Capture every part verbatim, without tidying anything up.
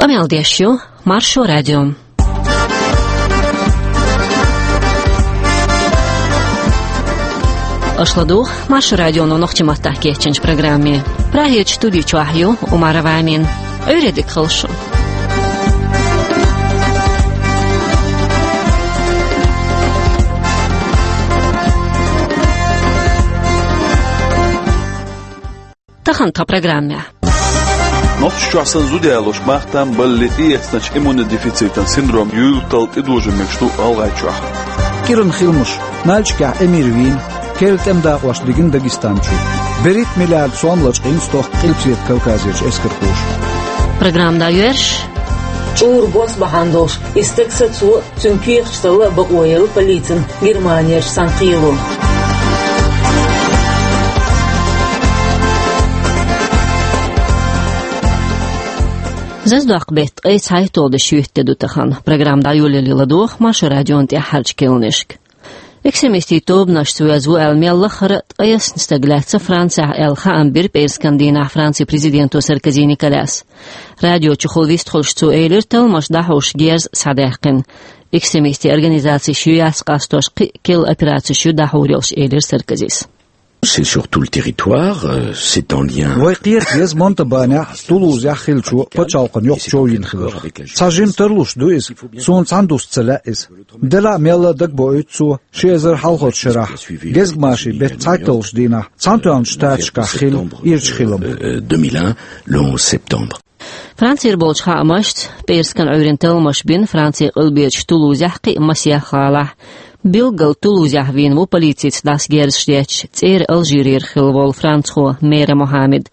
Къамел деш ю Маршо радио. Аша ладугӀу Маршо радионо нохчийн маттахь кечйинчу программе. Прагерчу студи чохь ю Умарова Амина. Ӏуьйре дика хуьлда шун. Тахана тхан программехь. Нохчийчохь санна зуда ялош мах-там баллалц тӀеэцначу иммунодефицитан синдром юьйлуттал тӀедожийна мегаш ду ГӀалгӀайчохь. КӀиранан хиламаш. Нальчикехь Эмир вийна, керла тӀеман дакъош дигна Дагестан чу. БерхӀитта миллиард сом лачкъийна стохка Къилбаседа Кавказерчу эскархоша. Программа дӀайоьрзуш. ЧӀура бос бахьана долуш, и стаг сацо, цуьнан кехаташ талла а бакъо елла полицина Германерчу цхьана кхело. Зазадоккху беттан ткъе цхьайтталгӀа де шоьтан де ду тахана. Программа дӀайолале ладогӀа Маршо радион тӀаьххьарчу кхаьънашка. Экстремистийн тобанашца воьзна ву аьлла мел лаххара ткъайоьсна стаг лаьцна Францехь аьлла хаам бира пӀераскан дийнахь Францин президенто Саркози Николяс. Радио чухула вистхуьлуш цо элира, талламаш дӀахьош герз схьадаьккхина. Экстремистийн организацеш ю яц къастош, кхин а керла операцеш ю дӀахьур йолуш, элира Саркозис. C'est sur tout le territoire, euh, c'est en lien. Вай кхета деза Монтабанехь, Тулузехь хиллачу пачхьалкхан йоккхачу йина хиларх. Цхьа жима тарлуш ду иза, суна цхьаьна дуста ца лаьа иза. Делахь а мелла а дагабоуьйту цо, ши эзар хьалхарчу шарахь, гезгмашин беттан цхьайтталгӀачу дийнахь, Цхьаьнатоьхначу Штаташкахь хилла ирчу хилам. Euh, deux mille un, le onze septembre. Францера болчу хаамашца, пӀераскан Ӏуьйранна талламаш бина Францин къилберчу Тулузехь кхин а масех гӀалахь. Билггал Тулузехь вийна ву полицица дӀаса герзаш детташ, цӀера Алжирера хилла волу францхо Мере Мохаммед.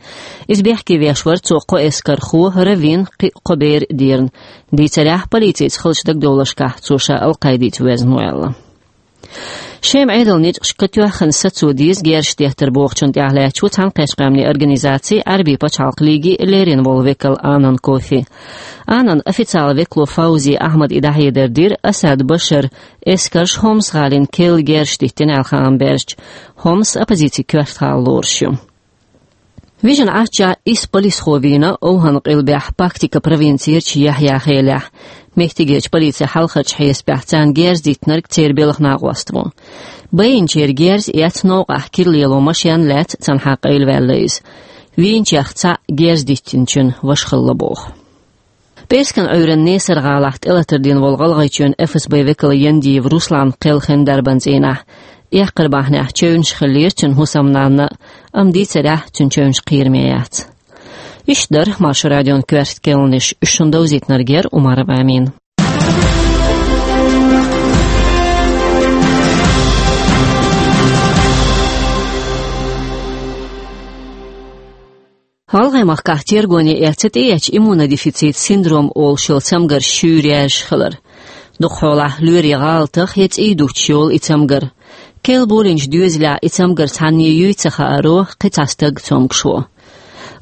Иза бехке веш вара цо кхо эскархо, Равин, кхин а кхо бер а дерна. Дийцарехь, полицица хиллачу дагадовларшкахь цо ша Ал-Къаидица воьзна ву аьлла. Шема Ӏедалан ницкъашка тоьхна сацо деза герзаш деттар бохучунна тӀаьхьалаьцна ву Цхьаьнакхеттачу Къаьмнийн Организацин, Ӏаьрбийн пачхьалкхан лигин леррина волу векал Анан Кофи. Анан официалан векало Фаузи Ахьмада и дӀахьедар дира Асад Башаран эскарша Хомс гӀалин керла герзаш диттина аьлла хаам баьржича. Хомс оппозицин коьрта гӀала лоруш ю. Вижина Ӏаччохь исс полисхо вийна ОвхӀан-къилбехь Пактика провинцерчу Яхьъя-Хелехь. Меттигерчу полицин хьалхарчу хьесапехь царна герз диттинарг церан белхан накъост ву. Байинчеран герз эцна новкъахь кира лело машен лаьцна цунна хьакъ айла ваьлла иза. Вийначех цхьаъ герз диттинчун ваша хилла боху. ПӀераскан Ӏуьйранна Несар-гӀалахь тӀелатар дина волу ГӀалгӀайчоьнан ФСБ векала Яндиев Руслан кхелхина дарбан цӀийнахь. Эккхар бахьанехь чевнаш хиллера цуьнан хӀусамнанна, амма дийцарехь, цуьнан чевнаш кхераме яц. Иштта дара Маршо радион коьрта кхаьънаш, уьш шуна довзийтинарг яра Умарова Амина. ГӀалгӀай махкахь тергоне эцна тӀеэцначу иммунодефицит синдром олуш йолу цамгарш шуьйра яьржаш хилар. Дукхахьолахь лоьрийн гӀалатах я цӀий дутуш йолу и цамгар. Керла болийначу доьзалехь и цамгар цхьанне юй ца хааро кхин цхьа стаг цомгуш ву.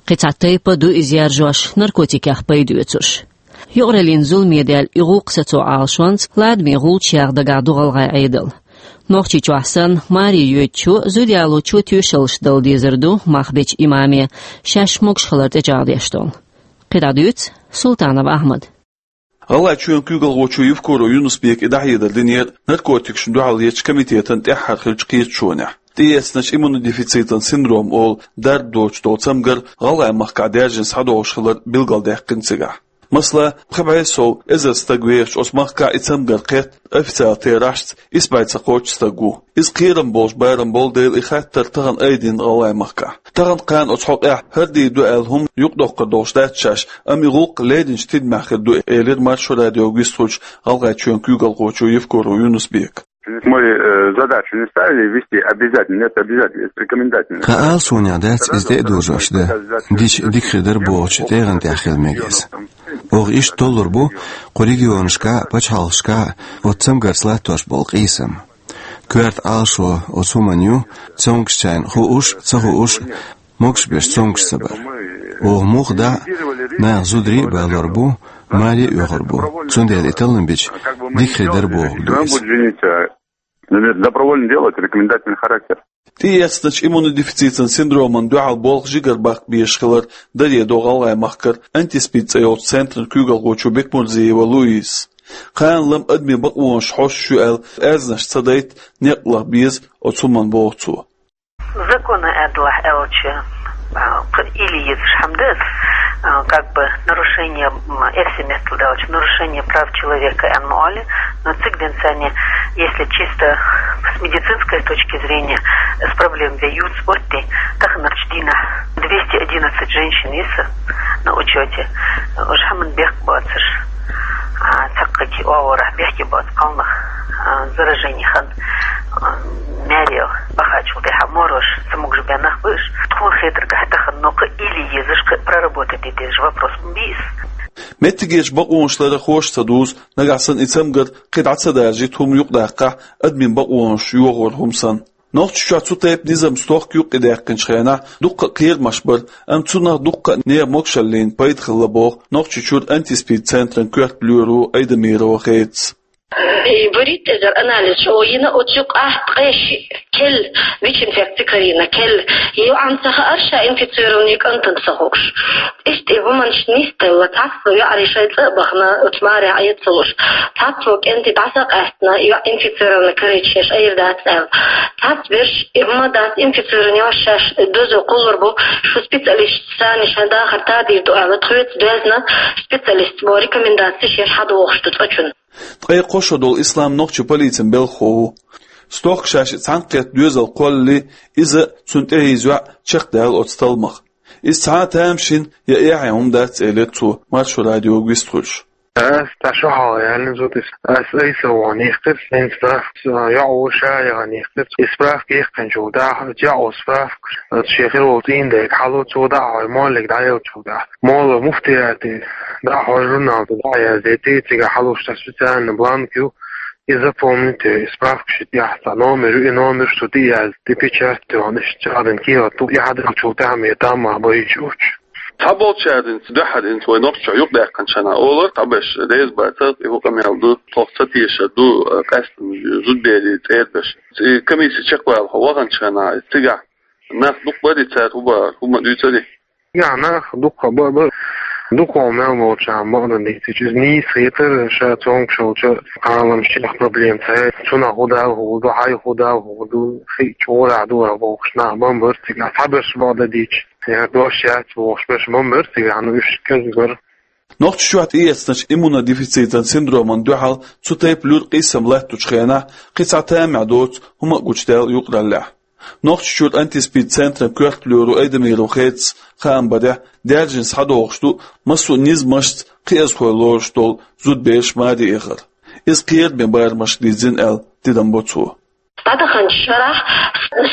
Кхин цхьа тайпа ду иза яржош, наркотикех пайда оьцуш. Юкъараллин зуламе даьлла и гӀуллакх сацо Ӏалашонца ладаме гӀулч яха дагахь ду ГӀалгӀай Ӏедал. Нохчийчохь санна, маре йоьдучо, зуда ялочо тоьшаллаш дала дезар ду мах бечу имаме, шаьш могуш хилар тӀечӀагӀдеш долу. КхидӀа дуьйцу Султанов Ахьмада. ГӀалгӀайчоьнан куьйгалхочо Евкуров Юнус-Бека и дӀахьедар динера наркотикашна дуьхьал ечу комитетан тӀаьххьара хиллачу кхеташонехь. ТӀеэцначу иммунодефицитан синдром олу дарба доцуш долу цамгар ГӀалгӀай махкахь даьржина схьадогӀуш хилар билгалдаьккхина цигахь. Масала, пхи бӀе сов эзар стаг вехачу оцу махкахь и цамгар кхетта, официалан терахьашца, исс бӀе цхьа кхоччуш стаг ву. Иза кхерам болуш барам болу дела, и хаттар тахана айдина ГӀалгӀай махкахь. Тахана кхана оцу хьокъехь хӀара дийр ду аьлла хӀума юкъадоккхур долуш дац шаьш, амма и гӀуллакх лединчу тидамехь хир ду, элира Маршо радиога вистхуьлуш ГӀалгӀайчоьнан куьйгалхочо Евкуров Юнус-Бека. Мы, э, задачу не ставили ввести обязательно, нет, обязательно, это рекомендательно. Тхан Ӏалашонехь дац иза тӀе а дожош дан, дича дика хир дара бохучу тӀегӀан тӀехь хила мега иза. Оха иштта толлур бу кху регионашкахь а, пачхьалкхашкахь а оцу цамгарца латтош болу къийсам. Коьрта Ӏалашо оцу хӀуманна ю, цомгушчарна хууш а, ца хууш а, могуш беш цомгуш ца бар. Оха муха дӀа а, наха зударий а балор бу, маре а оьхур бу. Цундела и таллам бича, дика хир дара бохург ду иза. Добровольное дело, это рекомендательный характер. ТӀеэцначу иммунодефицитан синдроман дуьхьал болх жигара баккха безаш хилар даре до ГӀалгӀай махкара антиспид цӀе йолчу центран куьйгалхочо Бекмурзиева Луизас. Кхана-лама адамийн бакъонаш хьош ю аьлла, аьрзнаш ца дайта некъ лаха беза оцу хӀуманна, боху цо. Закона аьдалахь аьлча, а, кхы илли езаш хӀама дац, а, как бы нарушение, м, эрсий меттала аьлча, нарушение прав человека аьнна ма олу, но цига денз санна, если чисто с медицинской точки зрения, с проблем вей юц отти, таханарчу дийнахь двести одиннадцать женщин йиса на учёте, уьш хӀаман бехк боцуш, а, цхьаккха оагӀорахь бехке боцу кхалнах, а, заражение хан, а, маьре бахачул тӀаьхьа морош ца могуш бен нах бу уьш. Тхуна хетаргахь тахана, но кхы илли езаш, кхы проработать де дезаш вопрос ма бий иза. Меттигерчу бакъонаш ларъярхоша ца дузу, нагахь санна и цамгар кхин дӀа ца даржийта хӀума юкъадаккхахь, адамийн бакъонаш йохор хӀума санна. Нохчийчохь цу тайпа низам стохка юккъе даьккхинчу хенахь дуккха а кхерамаш бара, амма цунах дуккха а нехан могушаллина пайда хилла, боху Нохчийчуьра антиспид центран коьрта лоьро Айдамирова Хедас. И баритта эзар анализ чӀогӀа йина, оцу юкъахь ткъе шиъ кел, ВИЧ-инфекци карийна кел. ЙоӀанна ца хаьара ша инфицированный кӀантана ца хууш. Иштта и хӀуманаш нисделла, цхьацца йоӀарий шайн цӀа а бахана, оцу марехь Ӏе ца луш. Цхьацца кӀентий дӀасакъаьстина, йоӀ инфицированный карийча шаьш Ӏийр дац аьлла. Цхьацца берш и хӀума дац, инфицированный йоӀ шаьш дозо кхуллур бу, шу специалисташца санна шайн дахар тадийр ду аьлла, тхоьца доьзна специалисташа бо рекомендацеш еш хьадогӀуш ду цкъачунна. Ткъе кхо шо долу Ислам нохчийн полицин белхахо ву. Стохка ша шиъ цхьаьнакхетта доьзал кхоллале, иза, цунна тӀехьийза йоӀ чекхдаьлла оцу талламах. Иза цхьа а тамашийна я эхье хӀума дац, элира цо, Маршо радиога вистхуьлуш. Ас тӀе шо хьалха яьллина зуда иза. Ас айса вахана йихкира, хӀинца йоӀ ву ша яхана йихкира. И справка яьккхинчул тӀаьхьа, йоӀ ву справка, аса шен хир волу цӀийнан дега хьалу, цо дӀа а хьой, моллиг дӀаеллачул тӀаьхьа. Молла муфтияте дӀа а хьой, журнал тӀе дӀа а яздийти, цигахь хьалуш цхьа специальный бланк ю, и запомнить, и справка ши тӀехь цхьа номер ю, и номер шу тӀе а язди, печать а йохна, иштта чӀагӀдина кехат ду, и хьадаьллачул тӀаьхьа ме таммах байча уьттуш. Цхьаболчаьрца дуьххьара, хӀинца вай Нохчийчохь юкъадаьккхинчу хенахь олура, цхьаберш реза бацара, и хӀун къамел ду, тхох ца тешар ду, къаьсттина зудаберийн цӀера берш. И комисси чекхвала хьо ваханчу хенахь, цигахь нах дукха бара, цара хӀун бахара, хӀума дуьйцура? Цигахь нах дукха ба-, бара. Дукха мел болчарна бакъдерг дийцича, иза нийса хетара, ша цомгуш волчу кхаламашкахь проблема ца хилла. Цунах хӀун дала хӀума ду, хьайн хӀун дала хӀума ду, хи чӀогӀа ду бохуш нах бан бара цигахь, цхьаберш бакъдерг дийцича. Я дош яц бохуш берш бан бара цигахь, ну, уьш кӀезиг бара. Нохчийчохь тӀеэцначу иммунодефицитан синдроман дуьхьал цу тайпа луьра къийсам латточу хенахь кхин цхьа тамехь доцу хӀума а гучудаьлла юкъараллехь. Нохчийчуьра антиспид центран коьрта лоьро Айдамирова Хедас хаам барехь, даьржина схьадогӀуш ду массо а низамашца кхиазхой лоруш долу зудабераш маре эхар. Иза кхераме барамашка дирзина аьлла тидам бо цо. ДӀадаханчу шарахь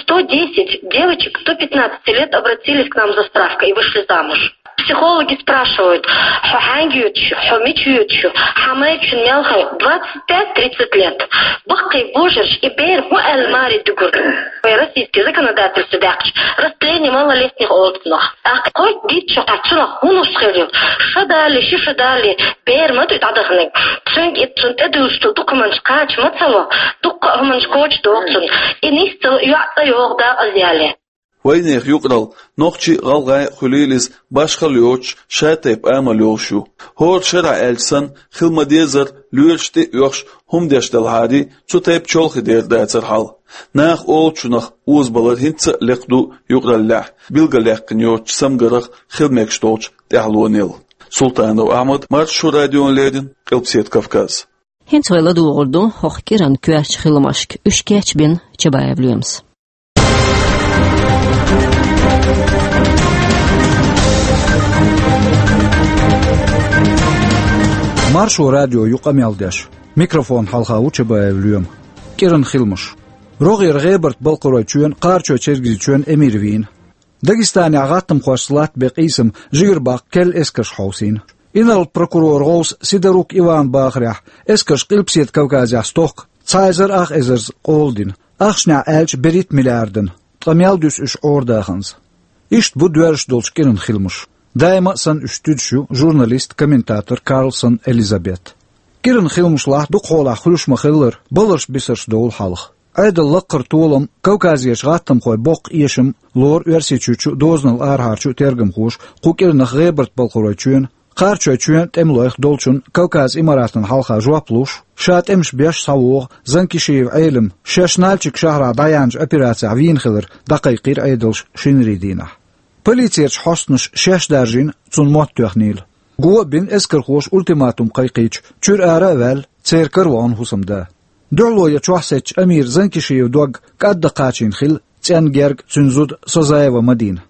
сто десять девочек до пятнадцати лет обратились к нам за справкой и вышли замуж. Психологи спрашивают: «Хьо хьаьнга йоьдуш ю? Хьо мича йоьдуш ю? Хьан майрачун мел хьо?» Двадцать пять тридцать лет. Баккхий божарш и бер хӀун аьлла маре дуьгур? Вай российский законодательство даьккхича, растление малолетних олу цунах. ТӀаккха кхойтта дийцча, хьан цунах хӀун луш хир ю? Ша дале, ши ша дале, бер ма ду дӀадаханиг. Цуьнга и цунна тӀедуьллуш долу документаш кхача ма ца ло, дуккха а хӀуманаш коча догӀу цунна. И нисдала йоӀ цӀа йогӀу дакъазъяле. Вайнехан юкъаралла, нохчий а, гӀалгӀай а хуьлийла иза, башхалла йоцуш, шатайпа амал йолуш ю. ХӀора шарахь аьлча санна, хила ма-деззара, лоьраш тӀе а оьхуш, хӀума деш делахьарий, цу тайпа чолхе дер дацара хьал. Наха олучунах озабалар хӀинца а лекха ду юкъараллехь, билгалъяьккхина йоцучу цамгарх хила мегаш долчу тӀаьхьалонел. Султанов Ахьмад, Маршо радиона леррина, Къилбаседа Кавказ. ХӀинца вай ладугӀур ду хӀокху кӀиран коьртачу хиламашка, уьш кечбина Чабаев Лоьмас. Маршо радио ю къамел деш. Микрофон хьалха ву Чабаев Лоьма. КӀиран хиламаш. РогӀера ГӀебарта-Балкхаройчоьнан, Кхарачой-Чергазийчоьнан эмир вийна. Дагестанехь гӀаттамхошца латтабен къийсам жигара баккха кел эскарша хьовсийна. Инарла прокуроран гӀовса Сидорук Иван бахарехь, эскарша Къилбаседа Кавказехь стохка цхьа эзар ах эзарза къола дина. Ахчанехь аьлча, берхӀитта миллиардан, ткъа мел дуьсу уьш Ӏорадаханза. Иштта бу доьрзуш долчу кӀиран хиламаш. Даима а санна уьш туьдуш ю журналист, комментатор Карлсон Элизабет. КӀиран хиламашлахь дукхахьолахь хуьлуш ма-хиллара, баларш-бисарш довла хьалха. Ӏедал лакхара толам, Кавказерчу гӀаттамхойн боккха эшам лору Оьрсийчуьрчу а, дозанал арахьарчу а тергамхоша кху кӀиранах ГӀебарта-Балкхаройчоьнан, Кхарачойчоьнан тӀемалойх долчун Кавказ Имаратан хьалха жоп луш, ша тӀемаш беш схьавогӀу Занкишиев Ӏелам шаьш Нальчик шахьарахь дӀаяьхьначу операцехь вийна хилар дӀакхайкхийра Ӏедалша шинарийн дийнахь. Полицерчу хьостанаша шаьш даржийна, цунна мотт тоьхнийла. Го а бина, эскархоша ультиматум кхайкхийча, чуьра ара а ваьлла, церан кара вахана хӀусамда. Дуьхьало ян чохь сецча Амира Занкишиевн дог кӀадда кхачийна хилла цӀенна герга цуьнан зуда Созаева Мадина.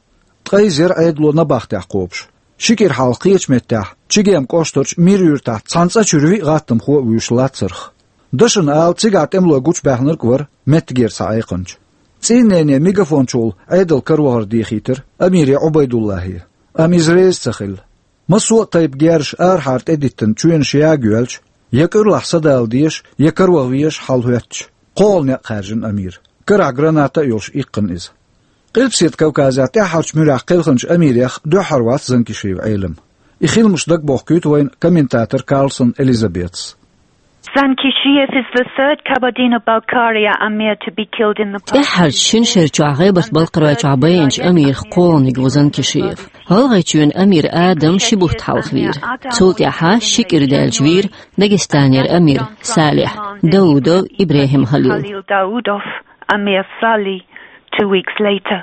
Ткъе иза яра Ӏедало набахтехь кхобуш. Ши кӀира хьалха кхечу меттехь, Чегем кӀоштарчу Мир-Юьртахь цхьана цӀа чуьра виъ гӀаттамхо а вуьйш лацарх. Дашна ала, цигахь тӀемалой гучубаьхнарг а вара меттигера цхьа Ӏекханча. ЦӀийннене мегафон чухула Ӏедалан каравахар дехийтира Амире Ӏубайдуллахье. Амма иза реза ца хилла. Массо а тайпа герзаш арахьара тӀедиттина чоьнаш яга йоьлча, я кӀуьрлахь садала дезаш, я караваха везаш хьалахӀоьттича, кхоалгӀа некъ хаьржина Амира. Карахь граната а йолуш иккхина иза. Къилбаседа Кавказехь тӀаьххьарчу муьрехь кхелхинчу Амирех дуьххьара вац Занкишиев Ӏелам. И хиламаш дагабохкуьйту вайна комментатор Карлсон Элизабетас. Zankishev is the third Kabardino-Balkaria Amir to be killed in the past. ТӀаьххьарчу шина шера чохь ГӀебарта-Балкхаройчохь байинчу Амирах кхоалгӀаниг ву Занкишиев. ГӀалгӀайчоьнан Амир Адам ши бутт хьалха вийра. Цул тӀаьхьа ши кӀира даьлча вийра Дагестанера Амир Салихь, Даудов ИбрахӀим Халил. Khalil Daudov, Amir Salih, two weeks later.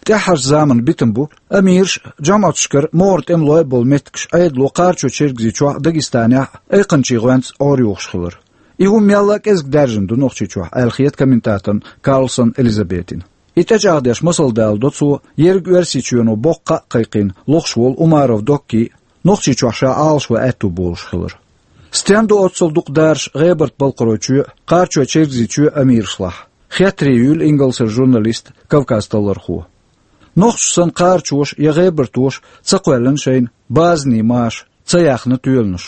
ТӀаьххьарчу заманан битам бу, Амираш а, жамӀаташкара могӀара тӀемалой а болу меттигаш Ӏедало Кхарачой-Чергазийчохь а, Дагестанехь а айкханчийн гӀоьнца Ӏорайохуш хилар. И хӀума мелла а кӀезиг даьржина ду Нохчийчохь, аьлла хета комментаторна Карлсон Элизабетина. И тӀечӀагӀдеш масал даладо цо, ерриг Оьрсийчоьно боккха кхаъ а кхайкхийна лохуш волу Умаров Доккин а, Нохчийчохь ша Ӏалашван аьтто болуш хилар. Стенна ду оццул дукха даржаш ГӀебарта-Балкхаройчоь а, Кхарачой-Чергазийчоь а Амирашлахь? Хеттаре юьйлу ингалсера журналиста Кавказ-Таллархо. Нохчаша санна кхарачоша я гӀебартоша ца кхоьллина шайна базанийн маша, ца яьхна тоьланаш.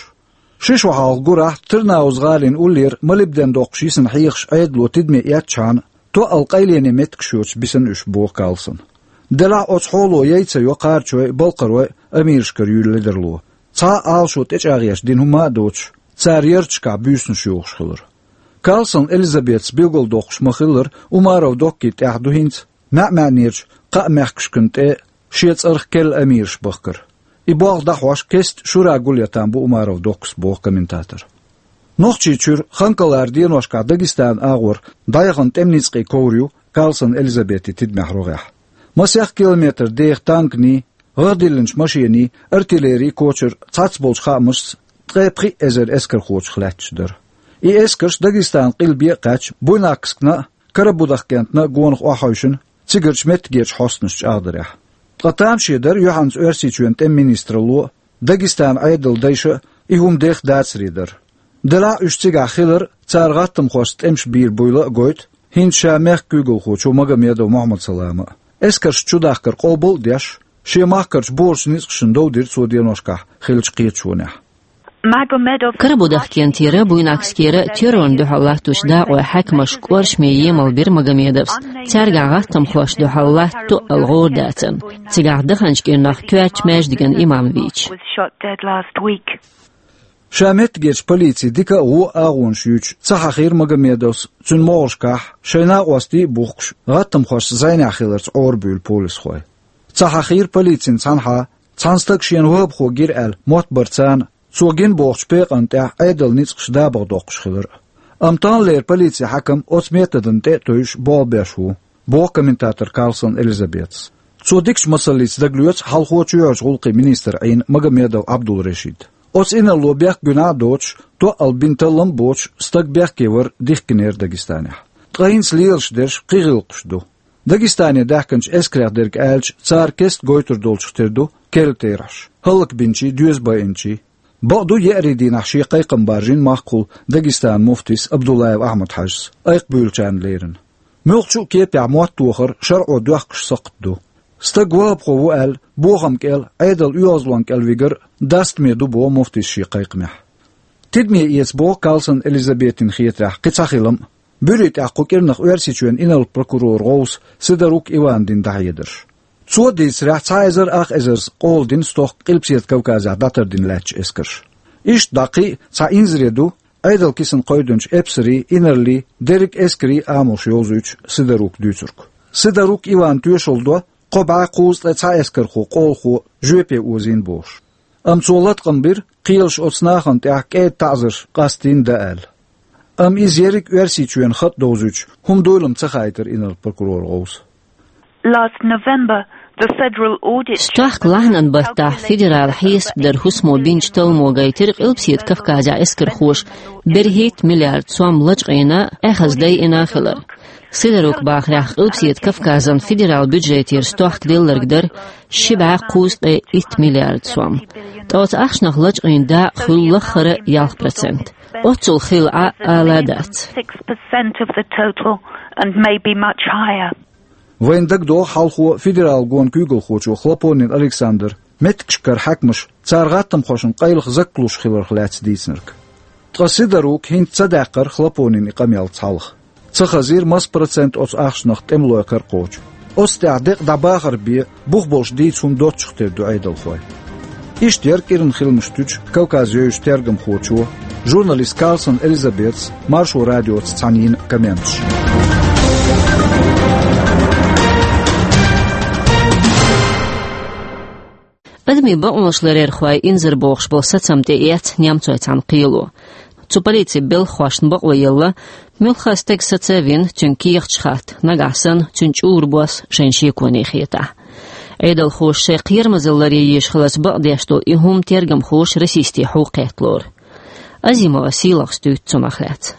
Ши шо хьалха гурахь Тырныауз-гӀалин уллера молибден доккхуш йисина хьехаш Ӏедало тидаме эцначхьана, тоъал къайлене меттигаш йоцуш бисина уьш, боху Карлсона. Делахь а оцу хьоло яй ца йо кхарачой а, балкхарой а Амирашкара юьйлу ледарло. Цхьа а Ӏалашо тӀечӀагӀъеш дина хӀума а доцуш, цара ярташкахь буьйсанаш йохуш хилар. Карлсон Элизабетас билгалдоккхуш ма-хиллара, Умаров Доккин тӀехь ду хӀинца маьӀ-маьӀнерчу кхаа мехкашкана тӀе шен цӀарах керла Амираш бахкар. И болх дӀахьош кеста Шура Гулъятан бу Умаров Доккас, боху комментатор. Нохчийчуьра Ханкалара деношкахь Дагестанан агӀор дӀаяхана тӀеман ницкъийн ковра ю Карлсон Элизабетин тидамехь рогӀехь. Масех километр деха танканий, гӀагӀ диллинчу машений, артиллерин кочар, цхьацца болчу хаамашца ткъе пхиъ эзар эскархочух лаьтташ дара. И эскарш Дагестанан къилбе а кхаьчна, Буйнакскна а, Карабудахкентна а гонах охьахевшина, цигарчу меттигерчу хьостанаша чӀагӀдарехь. Ткъа тамаше дара юьхьанца Оьрсийчоьнан тӀеман министралло а, Дагестанан Ӏедалан дайша а и хӀума деха дацаре дара. Делахь а уьш цигахь хилар цара гӀаттамхошца тӀемаш бийр буйла а гойту хӀинца ша мехкан куьйгалхочо Магомедов Мухьаммад-Салама а. Эскарш чудахкар къобал а деш, шен махкарчу божарчу ницкъашна дов дира цо деношкахь хиллачу кхеташонехь. Magomedov Карабудахкентера, Буйнакскера террорна дуьхьал латточу дакъойн хьаькамаш кӀоршаме емал бира Магомедовс, цаьргахь гӀаттамхошна дуьхьал латта тоъал гӀора дацарна, цигахь даханчу кӀирнах коьртачу маьждиган имам вийча. Was shot dead last week. Ша меттигерчу полицин дика а, вон а агӀонаш юьйцуш ца хьахийра Магомедовс цуьнан могӀаршкахь, шайн накъостий а бухкуш, гӀаттамхошца зӀенехь хиларца Ӏорабуьйлу полисхой. Ца хьахийра полицин цхьанхьа, цхьана стага шена вахӀабхо гира аьлла мотт бар царна, цо гина бохучу пекъанна тӀехь Ӏедалан ницкъаш дабагӀа доккхуш хилар а. Амма таханлера полицин хьаькам оцу методна тӀе а тевжаш болх беш ву, боху комментатор Карлсон Элизабетас. Цо дикачу масаллица дагалоьцу хьалхо чоьхьарчу гӀуллакхийн министр Ӏийна Магомедов Ӏабдул-Решид. Оцу инарло бехк-гуьнахь а доцуш, тоъал бина таллам а боцуш, стаг бехке вар дихкинера Дагестанехь. Ткъа хӀинца лелаш дерш кхин гӀиллакхаш ду. Дагестане даьхкинчу эскарех дерг аьлча, цара кеста гойтур долчух тера ду керла терахьаш, хӀаллакбинчий, доьза байинчий. Бакъду, еарин дийнахь шен кхайкхам баржийна махкахула Дагестанан муфтис Абдуллаев Ахьмад-Хьаьжас, айкхабуьйлучарна лерина. Муьлххачу а кепехь мотт тохар шарӀо доьхкуш сакхт ду. Стаг вахӀабхо ву аьлла, бохам кӀел, Ӏедалан оьгӀазлонна кӀел вигар дастаме ду, боху муфтис шен кхайкхамехь. Тидаме эца боху Карлсон Элизабетина хетарехь кхин цхьа хилам а, буьрийн тӀехь кху кӀирнах Оьрсийчоьнан инарла прокуроран гӀовс Сидорук Ивана дина дӀахьедарш. Цо дийцарехь, цхьа эзар ах эзарца къола дина стохка Къилбаседа Кавказехь дӀатардина лаьттачу эскарша. Иштта дӀа кхин а цхьа инзаре ду Ӏедал кисана кхойдинчу эпсарийн, инарлийн, дерриг эскарийн амалш йовзуьйтуш Сидорука дуьйцург. Сидорук Ивана тоьшалла до, кхо бӀе кхузткъе цхьа эскархо, къолхо жоьпе озийна бохуш. Амма цо латкъам бира, кхелаша оцу нахана тӀехь кӀеда таӀзарш къастийна дан аьлла. Амма иза ерриг Оьрсийчоьнан хатӀ довзуьйтуш хӀума дуйла-м ца хаийтира инарла прокуроран гӀовса. Last November, the federal audit Стохка лахьанан баттахь федералан хьесап даран хӀусамо бинчу талламо гайтира Къилбаседа Кавказехь эскархоша берхӀитта миллиард сом лачкъийна, эхаза дайина хилар. Сидорука бахарехь, Къилбаседа Кавказан федералан бюджетера стохка делларг дара ши бӀе кхузткъе итт миллиард сом. Ткъа оцу ахчанах лачкъийна дакъа хуьлу лаххара ялх процент. Оццул хилла Ӏа ала дац. Six percent of the total and maybe much higher. Вайна дагадогӀу хьалхо федералан гонан куьйгалхочо Хлопонин Александра меттигашкара хьаькамаш цара гӀаттамхошна къайлаха заккхалуш хиларх лаьцна дийцинарг. Ткъа Сидорука хӀинца ца даьккхира Хлопонина и къамел цхьалха. Ца хазийра, маса процент оцу ахчанах тӀемалойн кара кхочу. Оцу тӀехь декъа дӀабахар бен, бух болуш дийца хӀума доццух тера ду Ӏедалхой. Иштта яра кӀиран хиламаш туьйсучу Кавказ йовзачу тергамхочо, журналист Карлсон Элизабетас Маршо радиоца цхьаьна йина комменташ. Адамийн бакъонаш ларъярхойн инзарбохуш болу сацам тӀеэцна немцойн цхьана кхело. Цу полицин белхахошна бакъо елла, муьлхха а стаг саца а вина, цуьнан кехаташ хатта, нагахь санна, цуьнан чӀуран бос шайна шеконе хетахь. Ӏедалхоша шайн кхерамазалла ларъян езаш хиларца бакъдеш долу и хӀума тергамхоша расистийн хьу кхетта лору. Азимова Сийлахьас дуьйцу цунах лаьцна.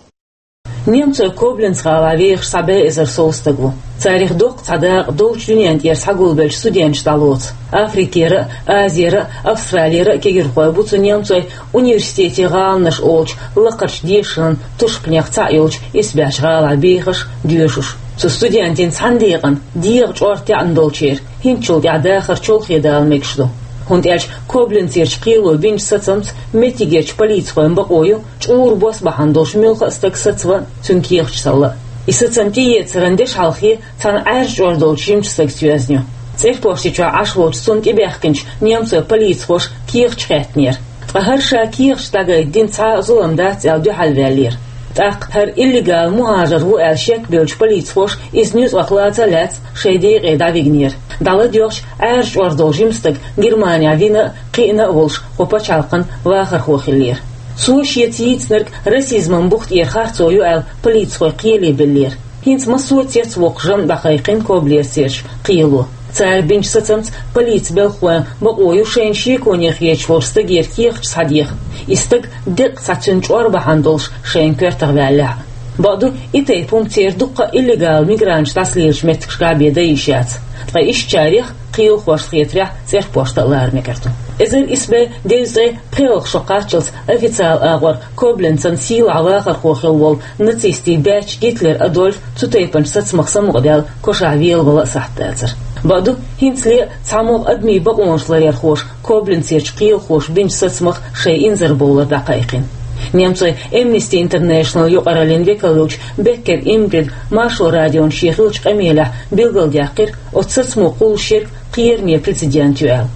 Немцойн Кобленц-гӀалахь вехаш цхьа бӀе эзар сов стаг ву. Царах доккха цхьа дакъа долчу дуьненна тӀера схьагулбеллачу студенташа дӀалоцу. Африкера а, Азера а, Австралера а кегийрхой бу цу немцойн университетийн гӀаланаш олучу лакхарчу дешаран тушпанех цхьаъ йолчу исбаьхьчу гӀалахь бехаш, доьшуш. Цу студентийн цхьана декъана дегӀан чӀор таьӀна долчеран хӀинцачул тӀаьхьа дахар чолхе дала мегаш ду. ХӀунда аьлча Кобленцерчу кхело бинчу сацамца меттигерчу полицхойн бакъо ю чӀуран бос бахьана долуш муьлхха а стаг сацаван, цуьнан кехаташ салла. И сацам тӀеэцаран дешхьалхе цхьана Ӏаьржа чӀор долчу жимачу стагца йоьзна ю. ЦӀерпошти чохь Ӏаш волчу цунна тӀебаьхкинчу немцойн полицхоша кехаташ хаьттинера. Ткъа хӀара ша кехаташ дӀагайта дина цхьа а зулам дац аьлла дуьхьалваьллера. ТӀаккха хӀара иллегал мухӀажар ву аьлла шек бевллачу полицхоша иза нуьцкъах лаца а лаьцна шайн декъе дӀавигнера. ДӀаладоьгӀча, Ӏаьржа чӀор долу жима стаг Германехь вина а, кхиъна а волуш, кху пачхьалкхан вахархо хиллера. Цо шеца йийцинарг расизман бух тӀера харцо ю аьлла, полицхой кхеле беллера. ХӀинца массо а цецвоккху жамӀ дӀакхайкхина Коблерцерчу кхело. Цара бинчу сацамца полицин белхахойн бакъо ю шайна шеконе хеташ волчу стагера кехаташ схьадеха. И стаг деккъа цхьа цуьнан чӀор бахьана долуш шайна коьртах ваьллехь а. Бакъду, и тайпа хӀума церан дуккха а иллегал мигранташ дӀасалелачу меттигашкахь бен дан йиш яц. Ткъа ишттачарех, кхелахошна хетарехь, цӀерпошта а лара мегар ду. Эзар исс бӀе дезткъе пхоьалгӀа шо кхаччалц официалан агӀор Кобленцан сийлахь вахархо хилла волу нацистийн баьчча Гитлер Адольф цу тайпанчу сацамах самукъадаьлла кошахь велавала а сахьт дацара. Бакъду, хӀинцале а цхьамогӀа адамийн бакъонаш ларъярхоша Кобленцерчу кхелахоша бинчу сацамах шайн инзарбовлар дӀакхайкхина. Немцойн Amnesty International юкъараллин векал йолчу Беккер Ингрида Маршо радиона шен хиллачу къамелехь билгалдаьккхира, оцу сацамо кхуллуш ерг кхераме прецедент ю аьлла.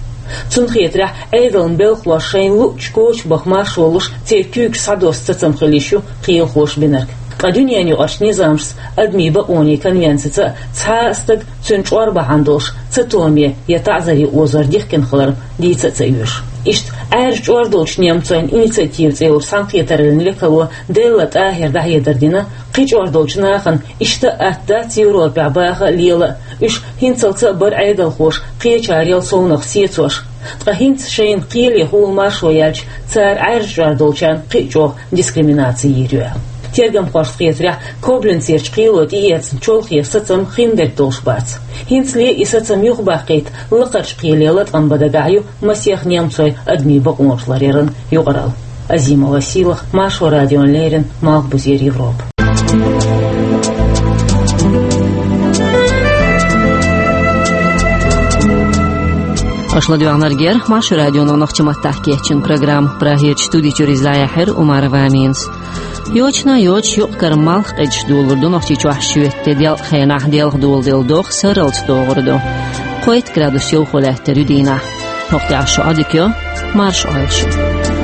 Цунна хетарехь, Ӏедалан белхалоша шайна луъучу коча баха маршо луш, церан куьйгаш схьадосса сацам хила йиш ю кхелахоша бинарг. Ткъа дуьненаюкъарчу низамашца, адамийн бакъонийн конвенцица а цхьа а стаг цуьнан чӀор бахьана долуш цатоме я таӀзаре озор дихкина хилар дийца а ца оьшу. Иштта Ӏаьржа чӀор долчу немцойн инициатива цӀе йолчу цхьаьнакхетараллин векало Делла ТӀахӀира дӀахьедар дина, кхин чӀор долчу нахана иштта а атта дац Европехь баха а, лела а, уьш хӀинцалца а бара Ӏедалхоша кхечарел совнаха сецош. Ткъа хӀинца шайна кхеле хула маршо яьлча, цара Ӏаьржа чӀор долчарна кхин а чӀогӀа дискриминаци йийр ю аьлла. Тергамхошна хетарехь, Кобленцерчу кхело тӀеэцна чолхе сацам хиндерг долуш бац. ХӀинцале и сацам юхабаккхийта лакхарчу кхеле латкъам бан дагахь ю масех немцойн адамийн бакъонаш ларъяран юкъаралла. Азимова Сийлахь, Маршо радиона леррина, Малхбузера Европа. Аша ладоьгӀнарг яра Маршо радионо нохчийн маттахь кечйина программа. Прагерчу студи чуьра иза дӀаяьхьира Умарова Аминас. Йочана йоцуш юкъ-кара малх къегаш долалур ду Нохчийчохь шоьтан де делкъа хенахь делха доладелла догӀа сарралц догӀур ду. Кхойтта градус йовхо лаьттар ю дийнахь. ХӀокху тӀехь шун Ӏодика йо, марша Ӏойла шу.